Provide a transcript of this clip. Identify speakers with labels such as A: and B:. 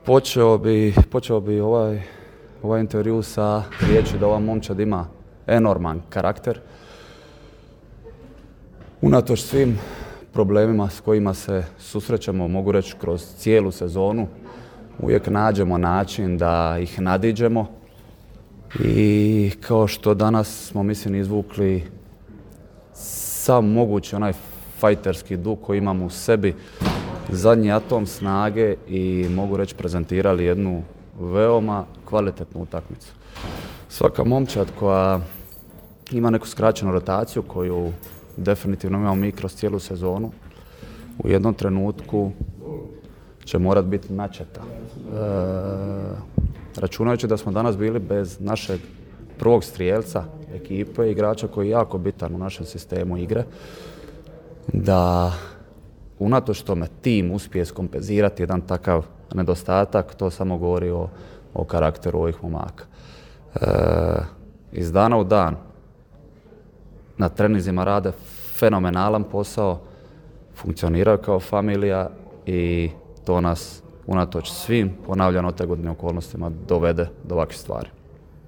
A: Počeo bi ovaj intervju sa riječi da ova momčad ima enorman karakter. Unatoč svim problemima s kojima se susrećemo, mogu reći kroz cijelu sezonu, uvijek nađemo način da ih nadiđemo. I kao što danas smo, mislim, izvukli sam mogući onaj fajterski duh koji imamo u sebi, zadnji atom snage i mogu reći prezentirali jednu veoma kvalitetnu utakmicu. Svaka momčad koja ima neku skraćenu rotaciju koju definitivno imamo mi kroz cijelu sezonu, u jednom trenutku će morat biti načeta. Računajući da smo danas bili bez našeg prvog strijelca ekipe, igrača koji je jako bitan u našem sistemu igre, da unatoč tome tim uspije skompenzirati jedan takav nedostatak, to samo govori o karakteru ovih momaka. Iz dana u dan na treninzima rade fenomenalan posao, funkcioniraju kao familija i to nas unatoč svim ponavljano otegotnim okolnostima dovede do ovakvih stvari.